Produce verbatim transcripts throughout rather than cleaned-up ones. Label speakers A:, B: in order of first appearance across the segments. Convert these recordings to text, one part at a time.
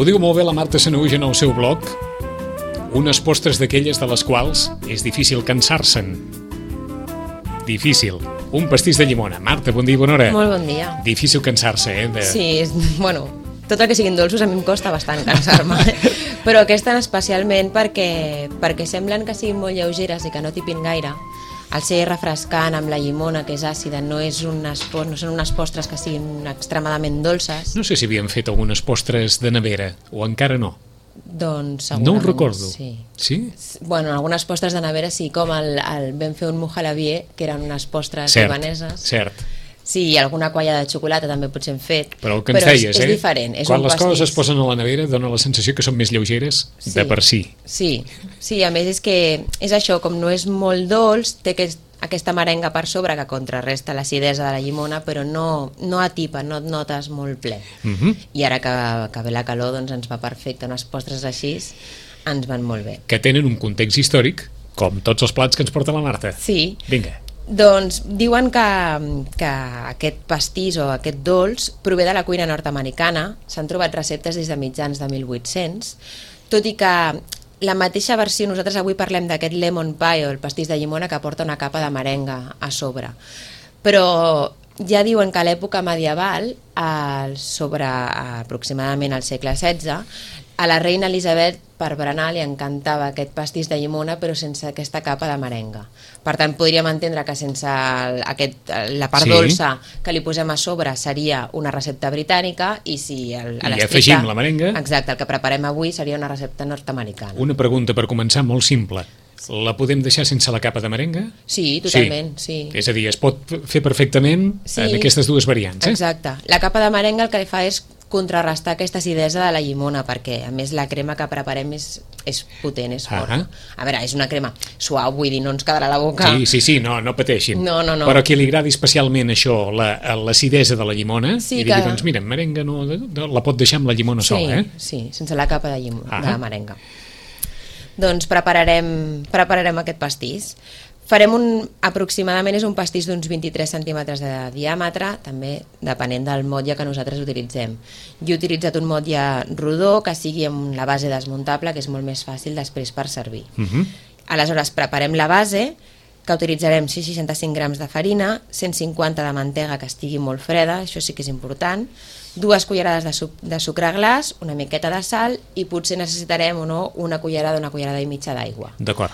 A: Ho diu molt bé la Marta Sanahuja en el seu blog. Unes postres d'aquelles de les quals és difícil cansar-se'n. Difícil. Un pastís de llimona. Marta, bon dia i bona hora.
B: Molt bon dia.
A: Difícil cansar-se, eh? De...
B: Sí, és, bueno, tot el que siguin dolços a mi em costa bastant cansar-me. Però aquesta especialment perquè, perquè semblen que siguin molt lleugeres i que no tipin gaire. Al ser refrescant amb la llimona, que és àcida, no, és unes, no són unes postres que siguin extremadament dolces.
A: No sé si havien fet algunes postres de nevera, o encara no.
B: Doncs
A: segurament no ho recordo.
B: Sí.
A: Sí?
B: Bueno, algunes postres de nevera sí, com el, el vam fer un mojalavier, que eren unes postres
A: cert,
B: libaneses.
A: Cert,
B: Sí, alguna colla de xocolata també potser hem fet.
A: Però el que ens
B: però
A: deies,
B: és, és
A: eh?
B: diferent. És
A: Quan
B: un
A: les
B: pastís.
A: coses es posen a la nevera dona la sensació que són més lleugeres
B: sí,
A: de per si.
B: Sí, sí, a més és que és això, com no és molt dolç, té aquest, aquesta merenga per sobre que contrarresta l'acidesa de la llimona, però no, no atipa, no et notes molt ple.
A: Uh -huh.
B: I ara que, que ve la calor doncs ens va perfecte, unes postres així ens van molt bé.
A: Que tenen un context històric, com tots els plats que ens porta la Marta.
B: Sí.
A: Vinga.
B: Doncs diuen que, que aquest pastís o aquest dolç prové de la cuina nord-americana, s'han trobat receptes des de mitjans de mil vuit-cents, tot i que la mateixa versió, nosaltres avui parlem d'aquest lemon pie o el pastís de llimona que porta una capa de merenga a sobre, però ja diuen que a l'època medieval, sobre aproximadament al segle setze, a la reina Elisabet per berenar li encantava aquest pastís de llimona però sense aquesta capa de merenga. Per tant, podríem entendre que sense el, aquest, la part
A: sí.
B: dolça que li posem a sobre seria una recepta britànica i si el, a
A: I afegim la merenga.
B: Exacte, el que preparem avui seria una recepta nord-americana.
A: Una pregunta per començar molt simple. La podem deixar sense la capa de merenga?
B: Sí, totalment, sí.
A: sí. És a dir, es pot fer perfectament sí. en aquestes dues variants. Eh?
B: Exacte. La capa de merenga el que fa és contrarrestar aquesta acidesa de la llimona, perquè a més la crema que preparem és, és potent, és forta. Uh -huh. A veure, és una crema suau, vull dir, no ens quedarà la boca...
A: Sí, sí, sí, no, no pateixin.
B: No, no, no.
A: Però a qui li agradi especialment això, l'acidesa de la llimona,
B: sí,
A: i digui, que... doncs mira, merenga no, la pot deixar amb la llimona
B: sí,
A: sola, eh?
B: Sí, sense la capa de, llimona, uh -huh. de merenga. Doncs prepararem, prepararem aquest pastís. Farem un, aproximadament és un pastís d'uns vint-i-tres centímetres de diàmetre, també depenent del motlle que nosaltres utilitzem. Jo he utilitzat un motlle rodó que sigui amb la base desmuntable, que és molt més fàcil després per servir.
A: Uh -huh.
B: Aleshores preparem la base, que utilitzarem cent seixanta-cinc grams de farina, cent cinquanta de mantega que estigui molt freda, això sí que és important, dues cullerades de, suc de sucre glaç, una miqueta de sal i potser necessitarem o no una cullerada, una cullerada i mitja d'aigua.
A: D'acord.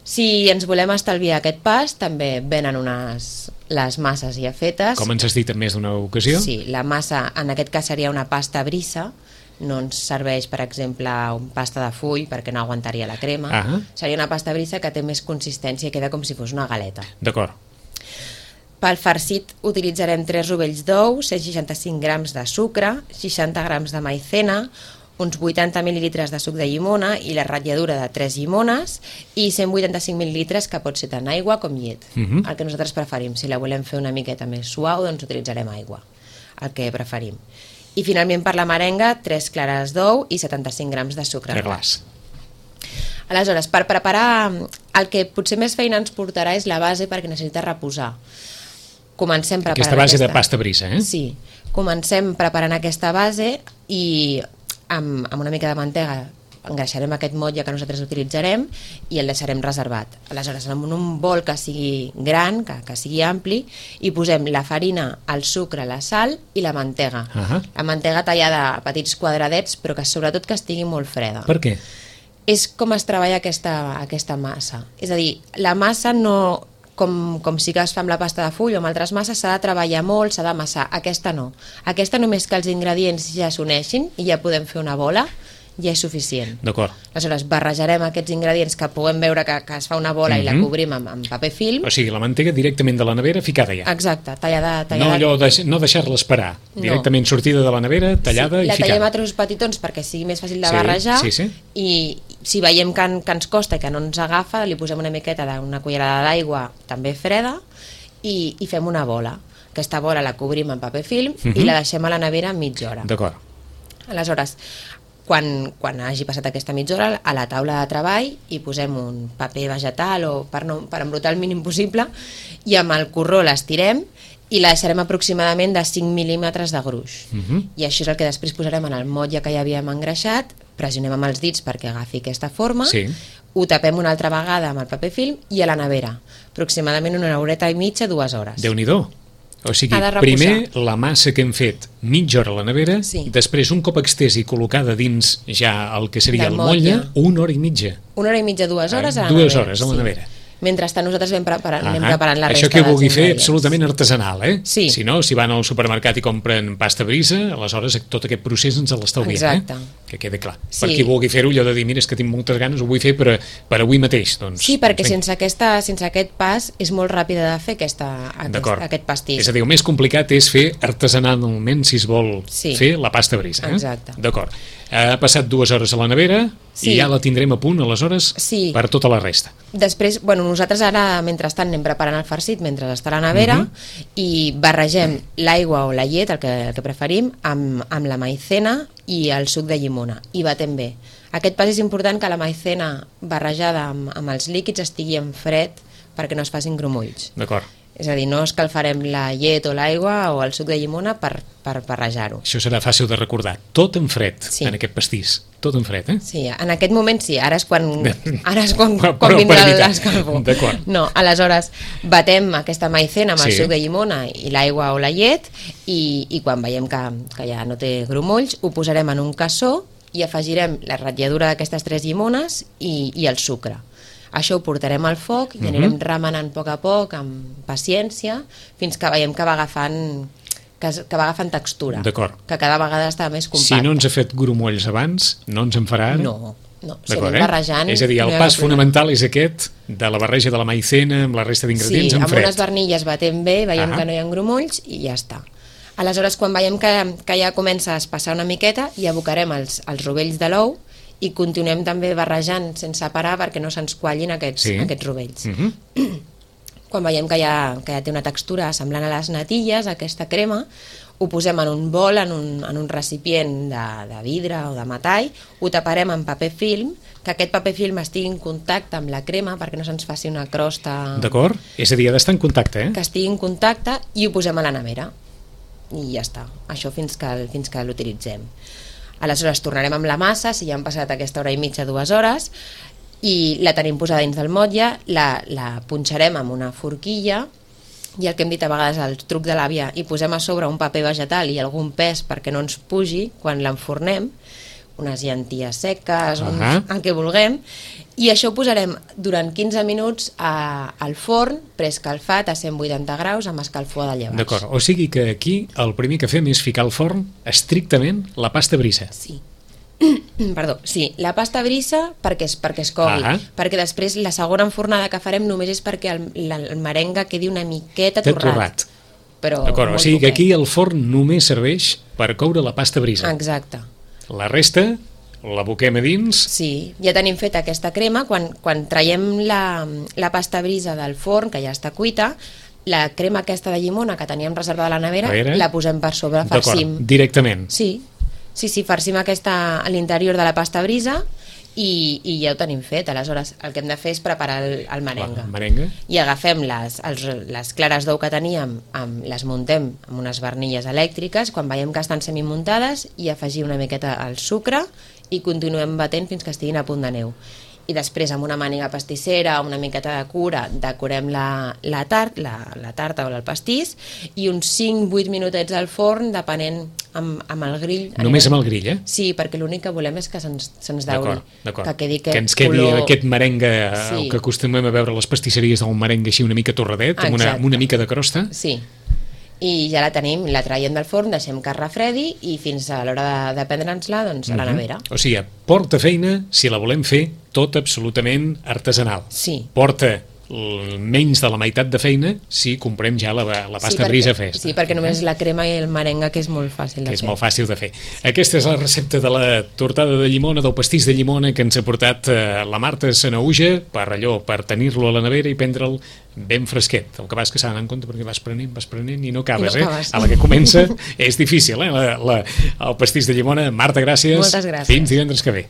B: Si ens volem estalviar aquest pas, també venen unes, les masses ja fetes.
A: Com ens has dit en més d'una ocasió?
B: Sí, la massa en aquest cas seria una pasta brissa, no ens serveix, per exemple, un pasta de full perquè no aguantaria la crema.
A: Uh -huh.
B: Seria una pasta brissa que té més consistència i queda com si fos una galeta.
A: D'acord.
B: Pel farcit utilitzarem tres rovells d'ou, cent seixanta-cinc grams de sucre, seixanta grams de maicena, uns vuitanta mil·lilitres de suc de llimona i la ratlladura de tres llimones i cent vuitanta-cinc mil·lilitres que pot ser tant aigua com llet. Uh -huh. El que nosaltres preferim. Si la volem fer una miqueta més suau, doncs utilitzarem aigua, el que preferim. I finalment per la merenga, tres clares d'ou i setanta-cinc grams de sucre glaç. Aleshores, per preparar el que potser més feina ens portarà és la base perquè necessita reposar. Comencem preparant
A: aquesta base
B: aquesta...
A: de pasta brissa, eh?
B: Sí, comencem preparant aquesta base i amb, amb una mica de mantega engreixarem aquest motlle que nosaltres utilitzarem i el deixarem reservat. Aleshores, en un bol que sigui gran, que, que sigui ampli, hi posem la farina, el sucre, la sal i la mantega.
A: Uh -huh.
B: La mantega tallada a petits quadradets, però que sobretot que estigui molt freda.
A: Per què?
B: És com es treballa aquesta, aquesta massa. És a dir, la massa no... Com, com si que es fa amb la pasta de full o amb altres masses, s'ha de treballar molt, s'ha d'amassar. Aquesta no. Aquesta només que els ingredients ja s'uneixin i ja podem fer una bola, ja és suficient.
A: D'acord.
B: Aleshores, barrejarem aquests ingredients que puguem veure que, que es fa una bola mm-hmm. i la cobrim amb, amb paper film.
A: O sigui, la mantega directament de la nevera ficada ja.
B: Exacte, tallada... tallada...
A: No, allò de, no deixar-la esperar.
B: No.
A: Directament sortida de la nevera, tallada
B: sí,
A: i
B: la
A: ficada.
B: La tallem a trossos petitons perquè sigui més fàcil de
A: sí,
B: barrejar
A: sí, sí.
B: i si veiem que, que ens costa i que no ens agafa, li posem una miqueta d'una cullerada d'aigua també freda i, i fem una bola. Aquesta bola la cobrim amb paper film mm-hmm. i la deixem a la nevera mitja hora.
A: D'acord.
B: Aleshores, quan, quan hagi passat aquesta mitja hora, a la taula de treball hi posem un paper vegetal o per, no, per embrutar el mínim possible i amb el corró l'estirem i la deixarem aproximadament de cinc mil·límetres de gruix.
A: Uh -huh.
B: I això és el que després posarem en el motlle que ja havíem engreixat, pressionem amb els dits perquè agafi aquesta forma,
A: Sí.
B: ho tapem una altra vegada amb el paper film i a la nevera, aproximadament una horeta i mitja, dues hores.
A: Déu-n'hi-do. O sigui,
B: Ha de reposar.
A: primer la massa que hem fet mitja hora a la nevera,
B: Sí.
A: després un cop extès i col·locada dins ja el que seria
B: Del
A: el motlle,
B: motlle.
A: una hora i mitja.
B: Una hora i mitja, dues hores a la
A: Dues
B: nevera.
A: hores a la nevera.
B: Mentrestant nosaltres anem preparant, anem
A: Ahà.
B: preparant la
A: Això
B: resta
A: que vulgui
B: dels
A: fer
B: ingredients.
A: absolutament artesanal, eh?
B: Sí.
A: Si no, si van al supermercat i compren pasta brisa, aleshores tot aquest procés ens l'estalviem,
B: Exacte.
A: eh? Que quede clar.
B: Sí.
A: Per qui vulgui fer-ho, allò de dir, mira, és que tinc moltes ganes, ho vull fer per, per avui mateix, doncs...
B: Sí, perquè
A: doncs,
B: sense, aquesta, sense aquest pas és molt ràpida de fer aquesta, aquest,
A: D'acord.
B: aquest pastís.
A: És a dir, el més complicat és fer artesanalment, si es vol
B: Sí.
A: fer la pasta brisa. Eh?
B: Exacte.
A: D'acord. Ha passat dues hores a la nevera
B: Sí.
A: i ja la tindrem a punt, aleshores,
B: Sí.
A: per tota la resta.
B: Després, bueno, nosaltres ara, mentrestant, anem preparant el farcit mentre està a la nevera
A: Mhm.
B: i barregem l'aigua o la llet, el que, el que preferim, amb, amb la maicena i el suc de llimona i batem bé. Aquest pas és important, que la maicena barrejada amb, amb els líquids estigui en fred perquè no es facin grumolls.
A: D'acord.
B: És a dir, no escalfarem la llet o l'aigua o el suc de llimona per, per barrejar-ho.
A: Això serà fàcil de recordar. Tot en fred,
B: Sí.
A: en aquest pastís. Tot en fred, eh?
B: Sí, en aquest moment sí, ara és quan, ara és quan,
A: Però
B: quan
A: per
B: vindrà
A: evitar.
B: l'escalfor.
A: D'acord.
B: No, aleshores batem aquesta maicena amb el
A: Sí.
B: suc de llimona i l'aigua o la llet i, i quan veiem que, que ja no té grumolls ho posarem en un cassó i afegirem la ratlladura d'aquestes tres llimones i, i el sucre. Això ho portarem al foc i anirem remenant a poc a poc, amb paciència, fins que veiem que va agafant que, es- que va agafant textura,
A: D'acord.
B: que cada vegada està més compacta.
A: Si no ens ha fet grumolls abans, no ens en farà ara?
B: No, no, si
A: D'acord,
B: anem barrejant...
A: És a dir, el
B: no hi ha
A: pas
B: cap problema.
A: fonamental és aquest, de la barreja de la maicena amb la resta d'ingredients
B: Sí,
A: en
B: amb
A: fred.
B: unes barnilles batem bé, veiem
A: Ah.
B: que no hi ha grumolls i ja està. Aleshores, quan veiem que, que ja comença a espassar una miqueta, hi abocarem els, els rovells de l'ou i continuem també barrejant sense parar perquè no se'ns quallin aquests,
A: Sí.
B: aquests rovells.
A: Mhm.
B: Quan veiem que ja, que ja té una textura semblant a les natilles, aquesta crema, ho posem en un bol, en un, en un recipient de, de vidre o de metall, ho taparem amb paper film, que aquest paper film estigui en contacte amb la crema perquè no se'ns faci una crosta...
A: D'acord? És a dir, ha d'estar en contacte, eh?
B: Que estigui en contacte i ho posem a la nevera. I ja està. Això fins que, fins que l'utilitzem. Aleshores tornarem amb la massa, si ja han passat aquesta hora i mitja, dues hores, i la tenim posada dins del motlle, la, la punxarem amb una forquilla i el que hem dit a vegades, el truc de l'àvia, i posem a sobre un paper vegetal i algun pes perquè no ens pugi quan l'enfornem, unes llenties seques, un,
A: Ahà.
B: el que vulguem, i això ho posarem durant quinze minuts a, al forn preescalfat a cent vuitanta graus amb escalfor de llevats.
A: D'acord, o sigui que aquí el primer que fem és ficar al forn estrictament la pasta brisa.
B: Sí. Perdó, sí, la pasta brisa perquè es, perquè es cogui,
A: Ahà.
B: perquè després la segona enfornada que farem només és perquè el, la, el merengue quedi una miqueta
A: Té
B: torrat.
A: torrat.
B: Però
A: D'acord, o
B: molt
A: sigui que
B: poquet.
A: aquí el forn només serveix per coure la pasta brisa.
B: Exacte.
A: La resta l'aboquem a dins.
B: Sí, ja tenim feta aquesta crema, quan, quan traiem la, la pasta brisa del forn, que ja està cuita, la crema aquesta de llimona que teníem reservada a la nevera,
A: A veure.
B: la posem per sobre, farcim.
A: D'acord, directament.
B: Sí, sí, sí, farcim aquesta a l'interior de la pasta brisa i, i ja ho tenim fet. Aleshores, el que hem de fer és preparar el, el merengue.
A: La merengue.
B: I agafem les, els, les clares d'ou que teníem, amb, les muntem amb unes barnilles elèctriques, quan veiem que estan semimuntades, i afegir una miqueta al sucre i continuem batent fins que estiguin a punt de neu. I després, amb una màniga pastissera, una miqueta de cura, decorem la, la, tart, la, la tarta o el pastís, i uns cinc vuit minutets al forn, depenent amb, amb el grill.
A: Només amb el grill, eh?
B: Sí, perquè l'únic que volem és que se'ns se dauri,
A: D'acord, d'acord.
B: que quedi
A: Que
B: aquest
A: ens quedi
B: color...
A: aquest merengue, sí.
B: Sí.
A: El que acostumem a veure a les pastisseries del merengue així una mica torradet, amb una,
B: Exacte.
A: amb una mica de crosta.
B: Sí, i ja la tenim, la traiem del forn, deixem que es refredi i fins a l'hora de, de prendre'ns-la, doncs, a la nevera.
A: O sigui, porta feina si la volem fer tot absolutament artesanal.
B: Sí.
A: Porta l- menys de la meitat de feina si comprem ja la, la pasta
B: sí,
A: brisa
B: perquè,
A: festa.
B: sí, perquè només la crema i el merengue, que és molt fàcil de
A: Que és
B: fer.
A: molt fàcil de fer. Aquesta és la recepta de la tortada de llimona, del pastís de llimona que ens ha portat eh, la Marta Sanaüja per allò, per tenir-lo a la nevera i prendre'l ben fresquet. El que vas que s'ha d'anar en compte perquè vas prenent, vas prenent i no acabes,
B: I no
A: eh?
B: acabes.
A: A la que comença és difícil, eh? La, la, el pastís de llimona. Marta, gràcies.
B: Moltes gràcies.
A: Fins divendres que ve.